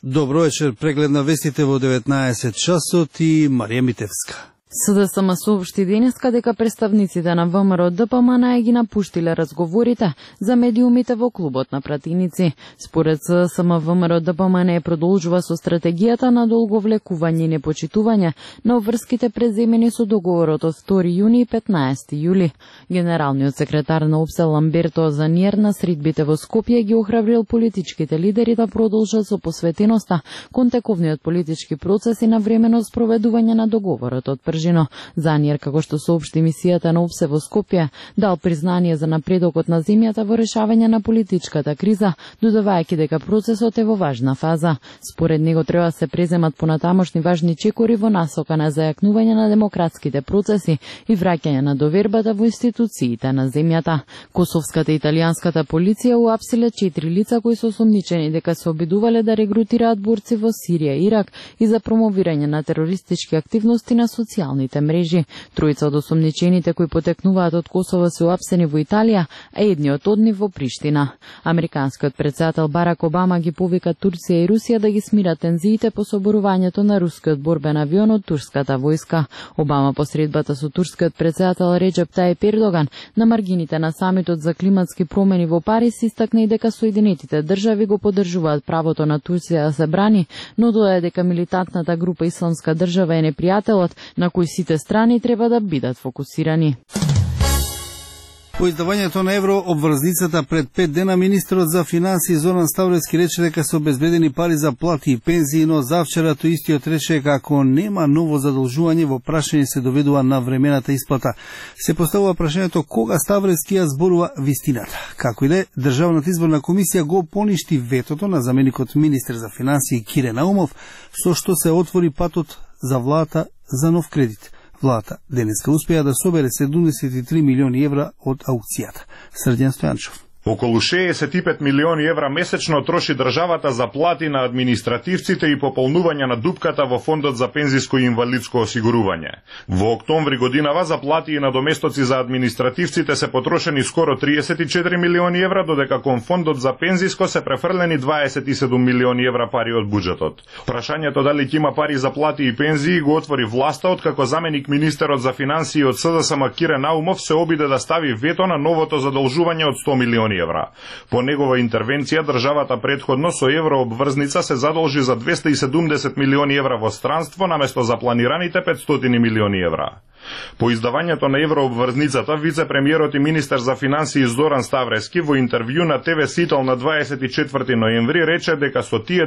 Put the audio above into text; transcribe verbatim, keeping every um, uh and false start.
Добро вечер, преглед на вестите во деветнаесет часот и Марија Митевска. СДСМ соопшти денеска дека представниците на ВМРО Д П М Н ги напуштиле разговорите за медиумите во клубот на пратеници. Според СДСМ, ВМРО Д П М Н продолжува со стратегијата на долговлекување и непочитување на врските преземени со договорот од втори јуни и петнаесети јули. Генералниот секретар на ОПСЕ Ламберто Заниер на средбите во Скопје ги охрабрил политичките лидери да продолжат со посветеноста кон тековниот политички процес и навремено спроведување на договорот од Пржино. Заниер, како што соопшти мисијата на ОПСЕ во Скопје, дал признание за напредокот на земјата во решавање на политичката криза, додавајќи дека процесот е во важна фаза. Според него треба да се преземат понатамошни важни чекори во насока на зајакнување на демократските процеси и враќање на довербата во институциите на земјата. Косовската и италијанската полиција уапсиле четири лица кои се осомничени дека се обидувале да регрутираат борци во Сирија и Ирак и за промовирање на терористички активности на социјалните мрежи. Тројца од осомничените кои потекнуваат од Косово се уапсени во Италија, а едниот од нив во Приштина. Американскиот претседател Барак Обама ги повика Турција и Русија да ги смират тензиите по соборувањето на рускиот борбен авион од турската војска. Обама по средбата со турскиот претседател Реджеп Тајип Ердоган на маргините на самитот за климатски промени во Париз истакна и дека Соединетите држави го поддржуваат правото на Турција да се брани, но додаде дека милитантната група Исламска држава е непријателот на кој сите страни треба да бидат фокусирани. По издавањето на евро обврзницата пред пет дена, министерот за финансии Зоран Ставровски рече дека се обезбедени пари за плати и пензии, но завчера тој истиот рече дека ако нема ново задолжување, во прашање се доведува на времената исплата. Се поставува прашањето кога Ставровски ја зборува вистината. Како и да е, Државната изборна комисија го поништи ветото на заменикот министер за финансии Кире Наумов, со што се отвори патот за владата за нов кредит. Владата денеска успеа да собере седумдесет и три милиони евра од аукцијата. Срдјан Стојанчов. Околу шеесет и пет милиони евра месечно троши државата за плати на административците и пополнување на дупката во фондот за пензиско и инвалидско осигурување. Во октомври годинава за плати и надоместоци за административците се потрошени скоро триесет и четири милиони евра, додека кон фондот за пензиско се префрлени дваесет и седум милиони евра пари од буџетот. Прашањето дали ќе има пари за плати и пензии го отвори власта, откако заменик министерот за финансии од СДСМ Кире Наумов се обиде да стави вето на новото задолжување од сто милиони евра. По негова интервенција, државата предходно со еврообврзница се задолжи за двесте и седумдесет милиони евра во странство, наместо за планираните петстотини милиони евра. По издавањето на еврообврзницата, вице-премиерот и министер за финансии Зоран Ставровски во интервју на ТВ Сител на дваесет и четврти ноември рече дека со тие